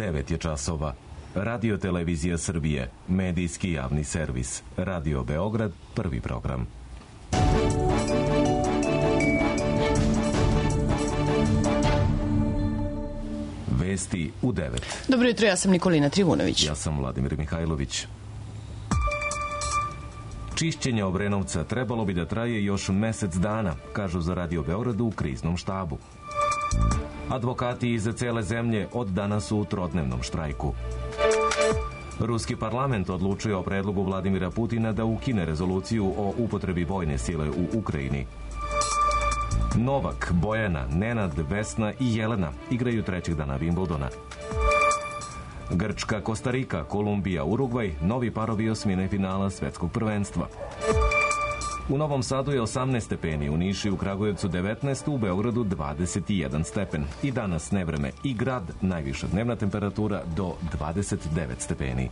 9 je časova. Radio Televizija Srbije, medijski javni servis. Radio Beograd, prvi program. Vesti u 9. Dobro jutro, ja sam Nikolina Trivunović. Ja sam Vladimir Mihajlović. Čišćenje Obrenovca trebalo bi da traje još mesec dana, kažu za Radio Beogradu u kriznom štabu. Advokati iz cele zemlje od danas su u trodnevnom štrajku. Ruski parlament odlučuje o predlogu Vladimira Putina da ukine rezoluciju o upotrebi vojne sile u Ukrajini. Novak, Bojana, Nenad, Vesna i Jelena igraju trećeg dana Wimbledona. Grčka, Kostarika, Kolumbija, Urugvaj, novi parovi osmine finala svetskog prvenstva. U Novom Sadu je 18 stepeni, u Nišu i u Kragujevcu 19, u Beogradu 21 stepen. I danas nevreme i grad, najviša dnevna temperatura do 29 stepeni.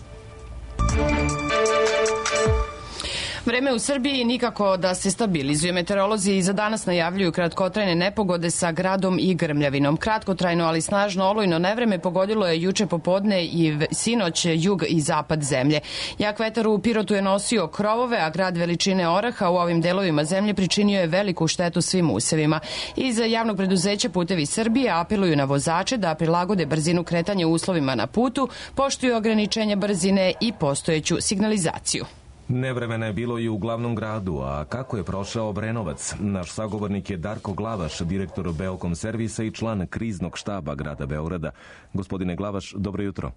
Vreme u Srbiji nikako da se stabilizuje. Meteorolozi i za danas najavljuju kratkotrajne nepogode sa gradom i grmljavinom. Kratkotrajno, ali snažno olujno nevreme pogodilo je juče popodne i sinoć jug i zapad zemlje. Jak vetar u Pirotu je nosio krovove, a grad veličine oraha u ovim delovima zemlje pričinio je veliku štetu svim usevima. Iz javnog preduzeća Putevi Srbije apeluju na vozače da prilagode brzinu kretanja uslovima na putu, poštuju ograničenja brzine i postojeću signalizaciju. Nevremena je bilo i u glavnom gradu, a kako je prošao Obrenovac? Naš sagovornik je Darko Glavaš, direktor Beokom servisa i član kriznog štaba grada Beograda. Gospodine Glavaš, dobro jutro.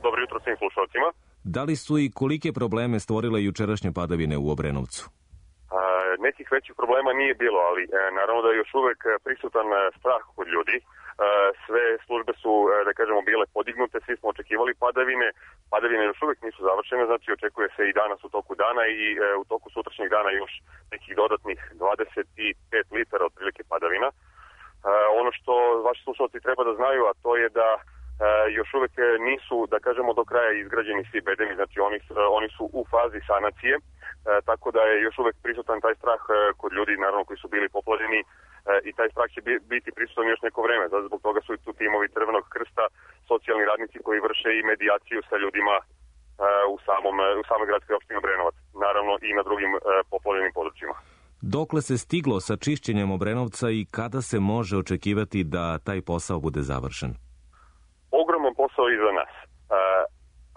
Dobro jutro svim slušalcima. Da li su i kolike probleme stvorile jučerašnje padavine u Obrenovcu? Nekih većih problema nije bilo, ali naravno da je još uvek prisutan strah kod ljudi. Sve službe su, da kažemo, bile podignute, svi smo očekivali padavine. Padavine još uvek nisu završene, znači očekuje se i danas u toku dana i u toku sutrašnjeg dana još nekih dodatnih 25 litara otprilike padavina. Ono što vaši slušalci treba da znaju, a to je da još uvek nisu, da kažemo, do kraja izgrađeni svi bedemi, znači oni su u fazi sanacije, tako da je još uvek prisutan taj strah kod ljudi, naravno, koji su bili poplavljeni, i taj strah će biti prisutan još neko vreme. Zbog toga su i tu timovi Crvenog krsta, socijalni radnici koji vrše i medijaciju sa ljudima u samoj gradskoj opštini Obrenovac, naravno i na drugim poplavljenim područjima. Dokle se stiglo sa čišćenjem Obrenovca i kada se može očekivati da taj posao bude završen? Ogroman posao iza nas,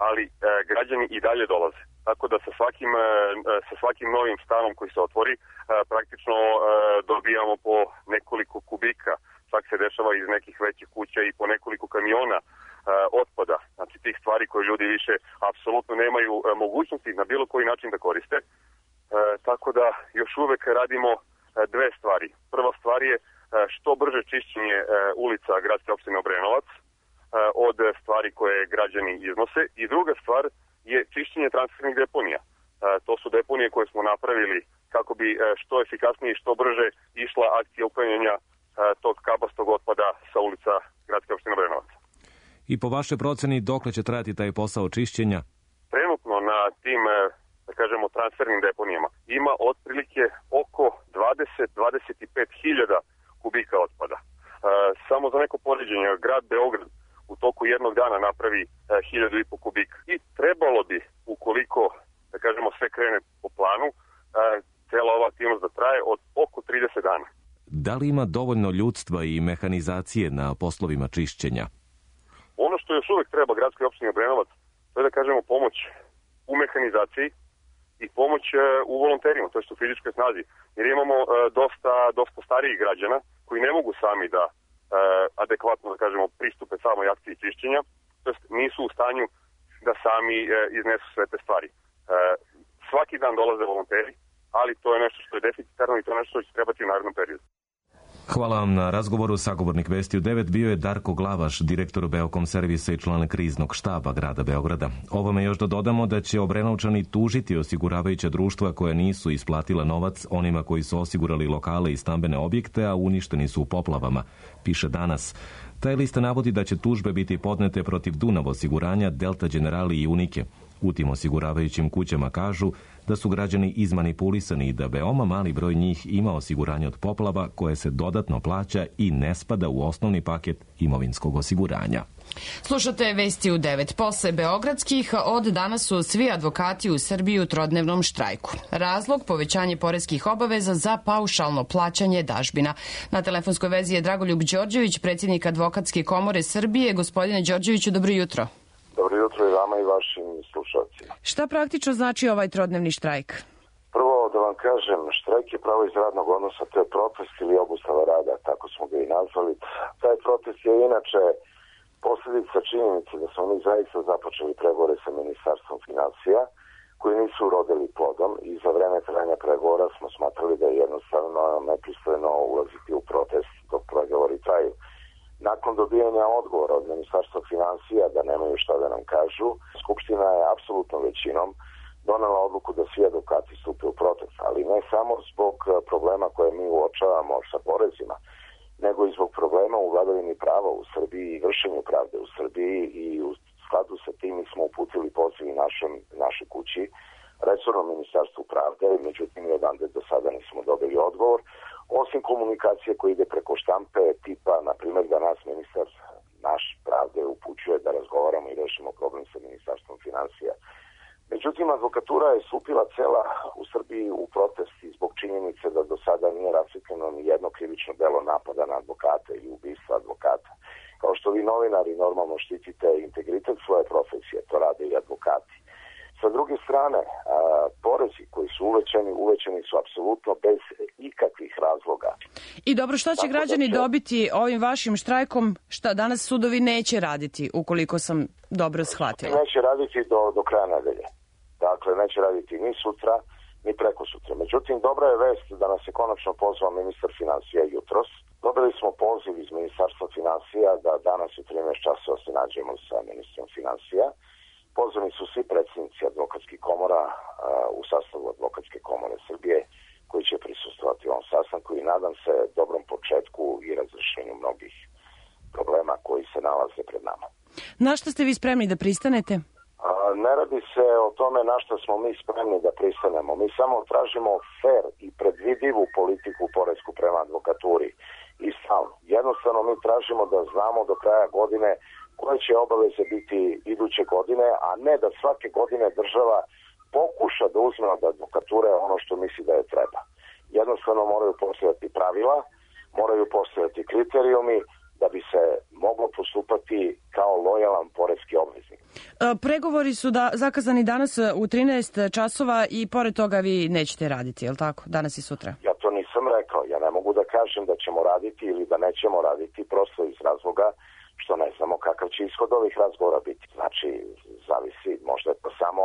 ali građani i dalje dolaze. Tako da sa svakim novim stanom koji se otvori, praktično dobijamo po nekoliko kubika. Čak se dešava iz nekih većih kuća i po nekoliko kamiona otpada. Znači tih stvari koje ljudi više apsolutno nemaju mogućnosti na bilo koji način da koriste. Tako da još uvek radimo dve stvari. Prva stvar je što brže čišćenje ulica gradske opštine Obrenovac od stvari koje građani iznose. I druga stvar je čišćenje transfernih deponija. To su deponije koje smo napravili kako bi što efikasnije i što brže išla akcija uklanjanja tog kabastog otpada sa ulica gradske opštine Obrenovac. I po vašoj proceni dokle će trajati taj posao čišćenja? Trenutno na tim, da kažemo, transfernim deponijama ima otprilike oko 20-25 hiljada kubika otpada. Samo za neko poređenje, grad Beograd u toku jednog dana napravi 1.500 kubika. I trebalo bi, ukoliko, da kažemo, sve krene po planu, cela ova aktivnost da traje od oko 30 dana. Da li ima dovoljno ljudstva i mehanizacije na poslovima čišćenja? Ono što još uvek treba gradskoj opštini Obrenovac, to je, da kažemo, pomoć u mehanizaciji i pomoć u volonterima, to je u fizičkoj snazi. Jer imamo dosta starijih građana koji ne mogu sami da adekvatno, da kažemo, pristupe samoj akciji čišćenja, to jest nisu u stanju da sami iznesu sve te stvari. Svaki dan dolaze volonteri, ali to je nešto što je deficitarno i to je nešto što će trebati u narednom periodu. Hvala vam na razgovoru. Sagovornik Vesti u 9 bio je Darko Glavaš, direktor Beokom servisa i član kriznog štaba grada Beograda. Ovome još da dodamo da će Obrenovčani tužiti osiguravajuća društva koja nisu isplatila novac onima koji su osigurali lokale i stambene objekte, a uništeni su u poplavama, piše Danas. Taj lista navodi da će tužbe biti podnete protiv Dunav osiguranja, Delta Generali i Unike. U tim osiguravajućim kućama kažu da su građani izmanipulisani i da veoma mali broj njih ima osiguranje od poplava koje se dodatno plaća i ne spada u osnovni paket imovinskog osiguranja. Slušate vesti u 9. Posle beogradskih, od danas su svi advokati u Srbiji u trodnevnom štrajku. Razlog povećanje poreskih obaveza za paušalno plaćanje dažbina. Na telefonskoj vezi je Dragoljub Đorđević, predsjednik Advokatske komore Srbije. Gospodine Đorđeviću, dobro jutro. Dobro jutro i vama i vašim slušalcima. Šta praktično znači ovaj trodnevni štrajk? Prvo da vam kažem, štrajk je pravo iz radnog odnosa, to je protest ili obustava rada, tako smo ga i nazvali. Taj protest je inače posljedica činjenice da smo mi zaista započeli pregovore sa Ministarstvom finansija, koji nisu urodili plodom i za vreme trajanja pregovora smo smatrali da je jednostavno nepristojno ulaziti u protest dok pregovori traju. Nakon dobijanja odgovora od Ministarstva finansija da nemaju šta da nam kažu, Skupština je apsolutnom većinom donela odluku da svi advokati stupe u protest, ali ne samo zbog problema koje mi uočavamo sa porezima, nego i zbog problema u vladavini prava u Srbiji i vršenju pravde u Srbiji i u skladu sa tim smo uputili poziv našoj kući, resornom ministarstvu pravde, međutim i odande do sada nismo dobili odgovor, osim komunikacije koja ide preko štampe tipa, na primjer, da nas ministar naš pravde upućuje da razgovaramo i rešimo problem sa Ministarstvom finansija. Međutim, advokatura je stupila cela u Srbiji u protest i zbog činjenice da do sada nije rasvetljeno ni jedno krivično delo napada na advokate i ubistva advokata. Kao što vi novinari normalno štitite integritet svoje profesije, to rade i advokati. Sa druge strane, porezi koji su uvećani su apsolutno bez ikakvih razloga. I dobro, što će građani dobiti ovim vašim štrajkom, šta danas sudovi neće raditi, ukoliko sam dobro shvatila? Neće raditi do kraja nedelje. Dakle, neće raditi ni sutra, ni preko sutra. Međutim, dobra je vest da nas je konačno pozvao ministar finansija jutros. Dobili smo poziv iz Ministarstva finansija da danas u 13 časova se nađemo sa ministrom finansija. Pozvani su svi predsjednici advokatskih komora u sastavu Advokatske komore Srbije koji će prisustvovati ovom sastanku i nadam se dobrom početku i razrešenju mnogih problema koji se nalaze pred nama. Na što ste vi spremni da pristanete? Ne radi se o tome na što smo mi spremni da pristanemo. Mi samo tražimo fair i predvidivu politiku poresku prema advokaturi i stalno. Jednostavno mi tražimo da znamo do kraja godine koje će obaveze biti iduće godine, a ne da svake godine država pokuša da uzme od advokature ono što misli da je treba. Jednostavno moraju postojati pravila, moraju postojati kriterijumi da bi se moglo postupati kao lojalan poreski obveznik. Pregovori su zakazani danas u 13 časova i pored toga vi nećete raditi, je li tako? Danas i sutra? Ja to nisam rekao. Ja ne mogu da kažem da ćemo raditi ili da nećemo raditi prosto iz razloga što ne znamo kakav će ishod ovih razgovora biti. Znači, zavisi, možda je to samo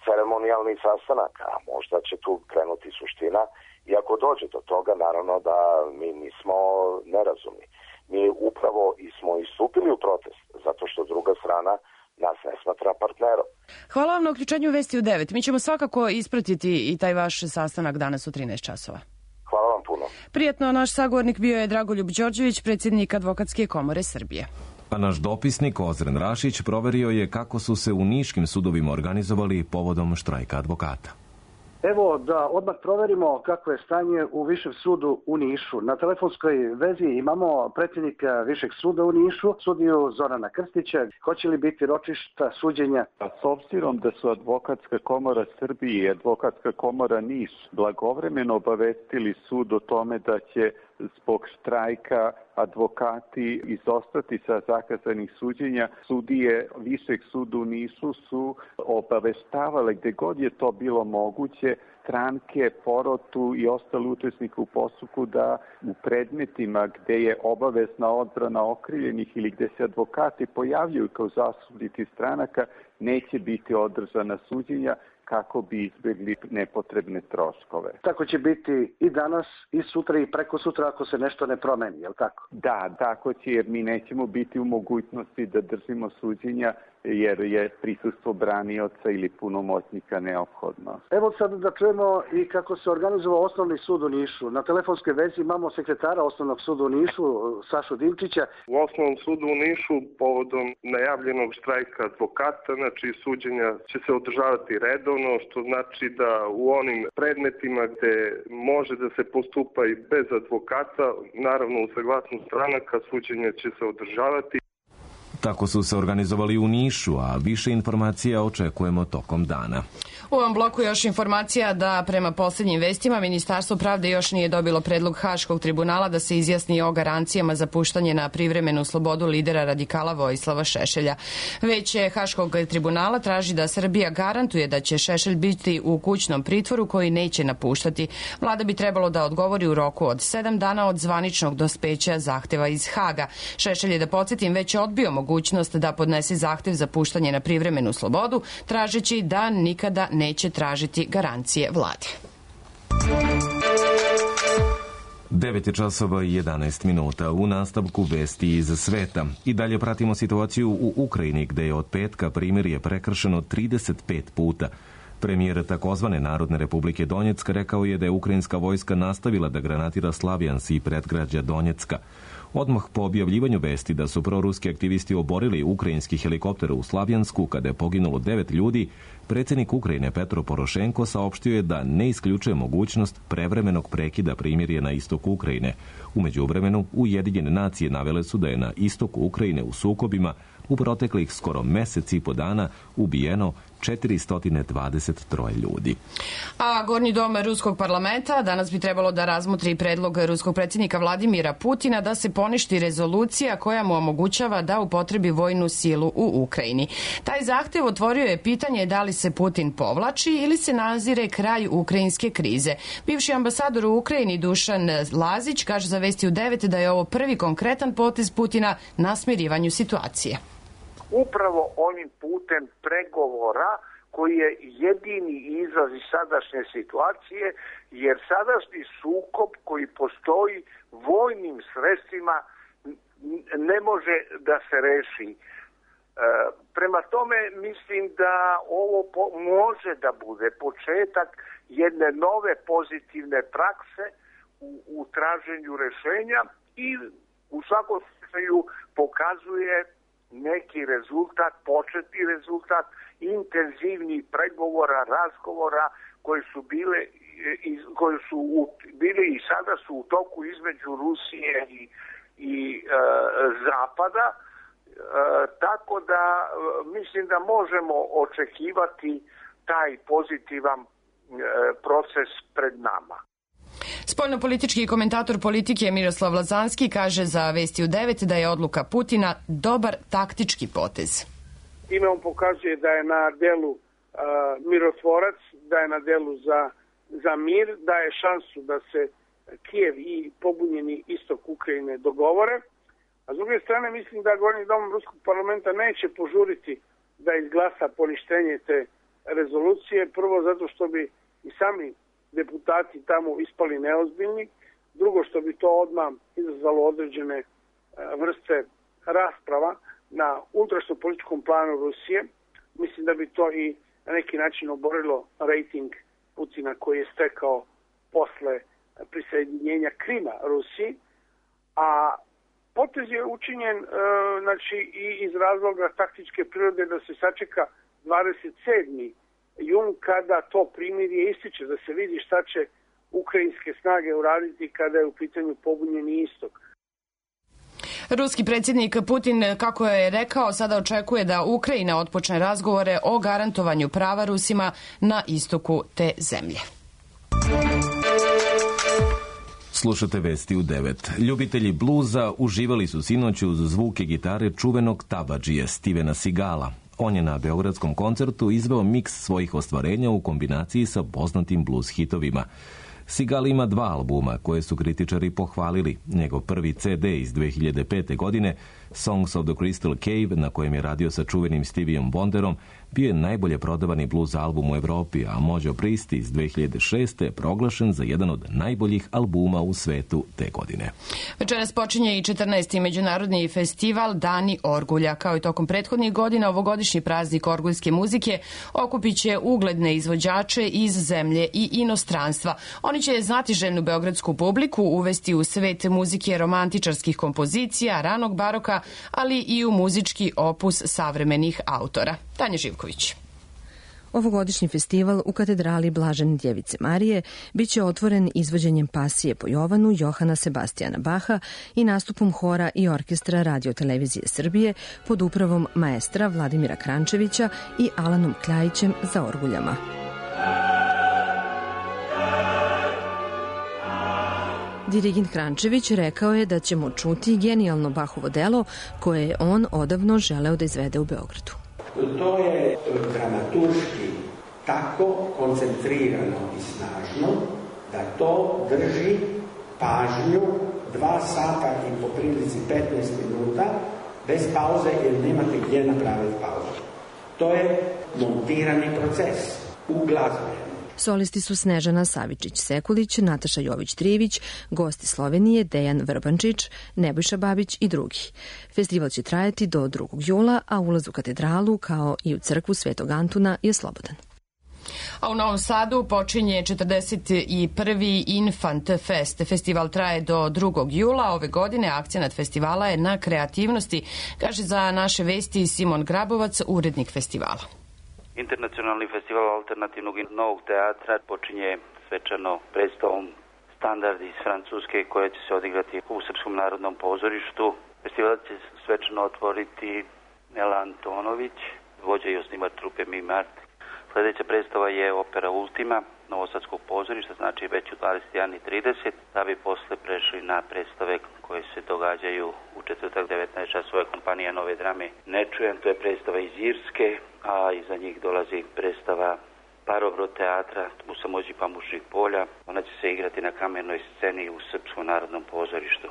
ceremonijalni sastanak, a možda će tu krenuti suština i ako dođe do toga, naravno da mi nismo nerazumni. Mi upravo smo istupili u protest, zato što druga strana nas ne smatra partnerom. Hvala vam na uključenju Vesti u 9. Mi ćemo svakako ispratiti i taj vaš sastanak danas u 13 časova. Hvala vam puno. Prijetno, naš sagovornik bio je Dragoljub Đorđević, predsjednik Advokatske komore Srbije. A naš dopisnik Ozren Rašić proverio je kako su se u niškim sudovima organizovali povodom štrajka advokata. Evo da odmah proverimo kako je stanje u Višem sudu u Nišu. Na telefonskoj vezi imamo predsjednika Višeg suda u Nišu, sudiju Zorana Krstića. Hoće li biti ročišta suđenja? S obzirom da su Advokatska komora Srbije i Advokatska komora Niš blagovremeno obavestili sud o tome da će zbog štrajka advokati izostati sa zakazanih suđenja, sudije Višeg suda u Nišu su obaveštavale gde god je to bilo moguće stranke, porotu i ostali učesnike u postupku da u predmetima gde je obavezna odbrana okrivljenih ili gde se advokati pojavljuju kao zastupnici stranaka neće biti održana suđenja kako bi izbjegli nepotrebne troškove. Tako će biti i danas, i sutra, i preko sutra ako se nešto ne promeni, je li tako? Da, tako će, jer mi nećemo biti u mogućnosti da držimo suđenja jer je prisustvo branioca ili punomoćnika neophodno. Evo sad da čujemo i kako se organizovao Osnovni sud u Nišu. Na telefonskoj vezi imamo sekretara Osnovnog suda u Nišu, Sašu Dimčića. U Osnovnom sudu u Nišu povodom najavljenog štrajka advokata, znači suđenja će se održavati redovno, što znači da u onim predmetima gde može da se postupa i bez advokata, naravno u saglasnost stranaka, suđenja će se održavati. Tako su se organizovali u Nišu, a više informacija očekujemo tokom dana. U ovom bloku još informacija da prema posljednjim vestima Ministarstvo pravde još nije dobilo predlog Haškog tribunala da se izjasni o garancijama za puštanje na privremenu slobodu lidera radikala Vojislava Šešelja. Veće Haškog tribunala traži da Srbija garantuje da će Šešelj biti u kućnom pritvoru koji neće napuštati. Vlada bi trebalo da odgovori u roku od 7 dana od zvaničnog dospeća zahteva iz Haga. Šešelj je, da podsjetim, već odbio mogućnost da podnese zahtev za puštanje na privremenu slobodu, tražeći da nikada neće tražiti garancije vlade. 9 časova i 11 minuta. U nastavku vesti iz sveta. I dalje pratimo situaciju u Ukrajini, gde je od petka primirje prekršeno 35 puta. Premijer takozvane Narodne republike Donjecka rekao je da je ukrajinska vojska nastavila da granatira Slavjansk i predgrađa Donjecka. Odmah po objavljivanju vesti da su proruski aktivisti oborili ukrajinski helikopter u Slavjansku kada je poginulo 9 ljudi, predsjednik Ukrajine Petro Porošenko saopštio je da ne isključuje mogućnost prevremenog prekida primirja na istoku Ukrajine. U međuvremenu, Ujedinjene nacije navele su da je na istoku Ukrajine u sukobima u proteklih skoro mesec i po dana ubijeno 423 ljudi. A Gornji dom Ruskog parlamenta danas bi trebalo da razmotri predlog ruskog predsjednika Vladimira Putina da se poništi rezolucija koja mu omogućava da upotrebi vojnu silu u Ukrajini. Taj zahtev otvorio je pitanje da li se Putin povlači ili se nazire kraj ukrajinske krize. Bivši ambasador u Ukrajini Dušan Lazić kaže za Vesti u 9 da je ovo prvi konkretan potez Putina na smirivanju situacije. Upravo onim putem pregovora koji je jedini izlaz iz sadašnje situacije, jer sadašnji sukob koji postoji vojnim sredstvima ne može da se reši. Prema tome mislim da ovo može da bude početak jedne nove pozitivne prakse u traženju rešenja i u svakom slučaju pokazuje neki rezultat, početni rezultat intenzivnih pregovora, razgovora koji su bili i sada su u toku između Rusije i Zapada, tako da mislim da možemo očekivati taj pozitivan proces pred nama. Spoljnopolitički komentator politike Miroslav Lazanski kaže za Vesti u 9 da je odluka Putina dobar taktički potez. Time on pokazuje da je na delu mirotvorac, da je na delu za mir, da je šansu da se Kijev i pobunjeni istok Ukrajine dogovore. A s druge strane mislim da Gornji dom Ruskog parlamenta neće požuriti da izglasa poništenje te rezolucije. Prvo zato što bi i sami deputati tamo ispali neozbiljni. Drugo što bi to odmah izazvalo određene vrste rasprava na unutrašnjopolitičkom planu Rusije. Mislim da bi to i na neki način oborilo rejting Putina koji je stekao posle prisjedinjenja Krima Rusiji. A potez je učinjen i iz razloga taktičke prirode da se sačeka 27. jun kada to primirje ističe, da se vidi šta će ukrajinske snage uraditi kada je u pitanju pobunjeni istok. Ruski predsjednik Putin, kako je rekao, sada očekuje da Ukrajina otpočne razgovore o garantovanju prava Rusima na istoku te zemlje. Slušate Vesti u 9. Ljubitelji bluza uživali su sinoć uz zvuke gitare čuvenog tabadžije Stevena Seagala. On je na beogradskom koncertu izveo miks svojih ostvarenja u kombinaciji sa poznatim blues hitovima. Seagal ima 2 albuma koje su kritičari pohvalili. Njegov prvi CD iz 2005. godine, Songs of the Crystal Cave, na kojem je radio sa čuvenim Stevieom Wonderom, bio je najbolje prodavani blues album u Evropi, a Mojo Priest iz 2006. je proglašen za jedan od najboljih albuma u svetu te godine. Večeras počinje i 14. međunarodni festival Dani Orgulja. Kao i tokom prethodnih godina, ovogodišnji praznik orguljske muzike okupit će ugledne izvođače iz zemlje i inostranstva. Oni će znatiželjnu beogradsku publiku uvesti u svet muzike romantičarskih kompozicija, ranog baroka, ali i u muzički opus savremenih autora. Tanja Živković. Ovogodišnji festival u katedrali Blažene Djevice Marije biće otvoren izvođenjem pasije po Jovanu Johana Sebastijana Baha i nastupom hora i orkestra Radio-televizije Srbije pod upravom maestra Vladimira Krančevića i Alanom Kljajićem za orguljama. Dirigent Krančević rekao je da ćemo čuti genijalno Bahovo delo koje je on odavno želeo da izvede u Beogradu. To je dramaturški tako koncentrirano i snažno da to drži pažnju 2 sata i po prilici 15 minuta bez pauze jer nemate gdje napraviti pauzu. To je montirani proces u glazbe. Solisti su Snežana Savičić-Sekulić, Nataša Jović-Trivić, gosti Slovenije Dejan Vrbančić, Nebojša Babić i drugi. Festival će trajati do 2. jula, a ulaz u katedralu kao i u crkvu Svetog Antuna je slobodan. A u Novom Sadu počinje 41. Infant Fest. Festival traje do 2. jula. Ove godine akcenat festivala je na kreativnosti, kaže za naše vesti Simon Grabovac, urednik festivala. Internacionalni festival alternativnog i novog teatra počinje svečano predstavom Standard iz Francuske koja će se odigrati u Srpskom narodnom pozorištu. Festival će svečano otvoriti Nela Antonović, vođa i osnivač trupe Mimart. Sljedeća predstava je opera Ultima Novosadskog pozorišta, znači već u 21:30, da bi posle prešli na predstave koje se događaju u četvrtak 19 časova. Kompanija Nove drame Ne čujem, to je predstava iz Irske, a iza njih dolazi predstava Parobro teatra u Samođi Pamučnih polja. Ona će se igrati na kamenoj sceni u Srpskom narodnom pozorištu.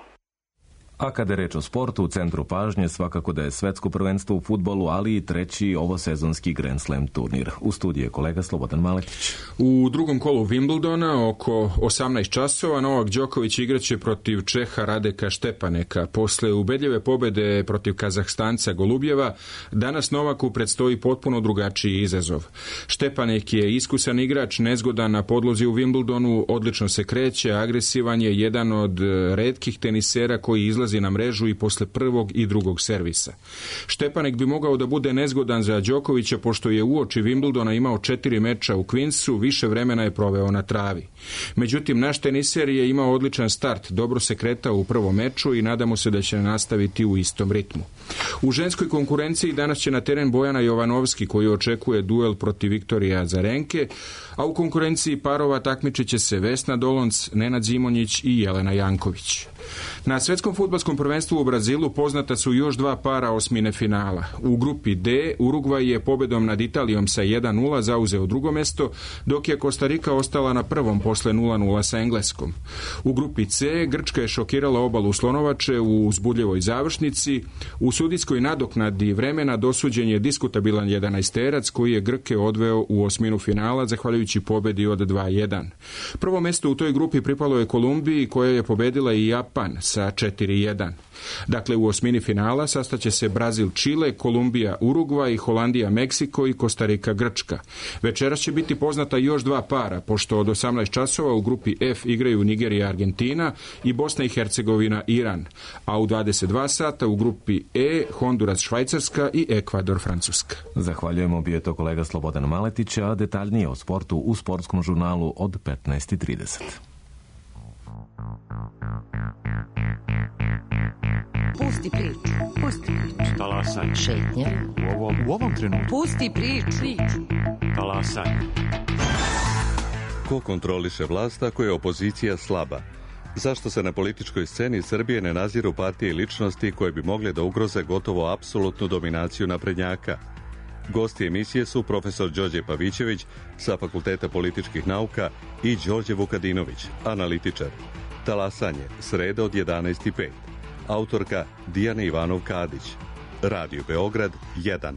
A kada je reč o sportu, u centru pažnje svakako da je svetsko prvenstvo u fudbalu, ali i 3. ovosezonski Grand Slam turnir. U studiju je kolega Slobodan Maletić. U drugom kolu Wimbledona oko 18 časova Novak Đoković igraće protiv Čeha Radeka Štepaneka. Posle ubedljive pobede protiv Kazahstanca Golubjeva, danas Novaku predstoji potpuno drugačiji izazov. Štepanek je iskusan igrač, nezgodan na podlozi u Wimbledonu, odlično se kreće, agresivan je, jedan od retkih tenisera koji izlazi na mrežu i posle prvog i drugog servisa. Štepanek bi mogao da bude nezgodan za Đokovića, pošto je uoči Wimbledona imao 4 meča u Queensu, više vremena je proveo na travi. Međutim, naš teniser je imao odličan start, dobro se kretao u prvom meču i nadamo se da će nastaviti u istom ritmu. U ženskoj konkurenciji danas će na teren Bojana Jovanovski, koji očekuje duel protiv Viktorije Azarenke, a u konkurenciji parova takmičit će se Vesna Dolonc, Nenad Zimonjić i Jelena Janković. Na svetskom fudbalskom prvenstvu u Brazilu poznata su još 2 para osmine finala. U grupi D Urugvaj je pobedom nad Italijom sa 1:0 zauzeo drugo mesto, dok je Kostarika ostala na prvom posle 0:0 sa Engleskom. U grupi C Grčka je šokirala obalu Slonovače u uzbudljivoj završnici. U sudijskoj nadoknadi vremena dosuđen je diskutabilan 11-terac koji je Grke odveo u osminu finala zahvaljujući pobedi od 2:1. Prvo mesto u toj grupi pripalo je Kolumbiji, koja je pobedila i Japan sa 4:1. Dakle, u osmini finala sastaće se Brazil Čile, Kolumbija Urugvaj, Holandija Meksiko i Kostarika Grčka. Večeras će biti poznata još 2 para, pošto od 18 časova u grupi F igraju Nigerija Argentina i Bosna i Hercegovina Iran, a u 22 sata u grupi E Honduras Švajcarska i Ekvador Francuska. Zahvaljujemo, bio je to kolega Slobodan Maletić, a detaljnije o sportu u sportskom žurnalu od 15:30. Pusti priču. Pusti priču. Talasaj. Šetnja. U ovom trenutku. Pusti priču. Talasaj. Ko kontroliše vlast ako je opozicija slaba? Zašto se na političkoj sceni Srbije ne naziru partije i ličnosti koje bi mogle da ugroze gotovo apsolutnu dominaciju naprednjaka? Gosti emisije su profesor Đorđe Pavićević sa Fakulteta političkih nauka i Đorđe Vukadinović, analitičar. Talasanje, sreda od 11:05. Autorka Dijana Ivanov-Kadić. Radio Beograd 1.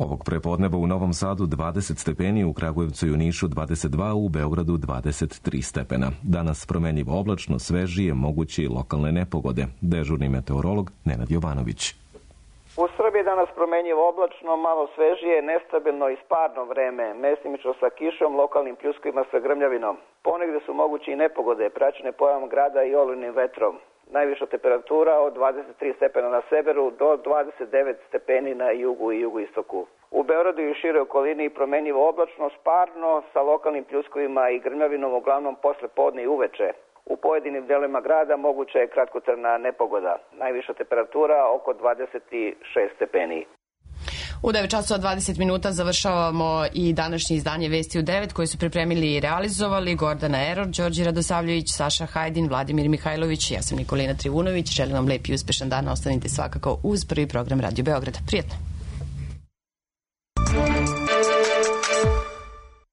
Ovog prepodneva u Novom Sadu 20 stepeni, u Kragujevcu i u Nišu 22, u Beogradu 23 stepena. Danas promenljivo oblačno, svežije, moguće i lokalne nepogode. Dežurni meteorolog Nenad Jovanović. U Srbiji danas promenljivo oblačno, malo svežije, nestabilno i sparno vreme, mestimično sa kišom, lokalnim pljuskovima sa grmljavinom. Ponegde su moguće i nepogode, praćene pojavom grada i olujnim vetrom. Najviša temperatura od 23 stepena na severu do 29 stepeni na jugu i jugoistoku. U Beogradu i široj okolini promenljivo oblačno, sparno, sa lokalnim pljuskovima i grmljavinom uglavnom posle podne i uveče. U pojedinim delovima grada moguća je kratkotrajna nepogoda. Najviša temperatura oko 26 stepeni. U 9 časova 20 minuta završavamo i današnje izdanje Vesti u 9 koje su pripremili i realizovali Gordana Eror, Đorđe Radosavljević, Saša Hajdin, Vladimir Mihajlović, ja sam Nikolina Trivunović. Želim vam lep i uspešan dan, ostanite svakako uz prvi program Radio Beograda. Prijetno!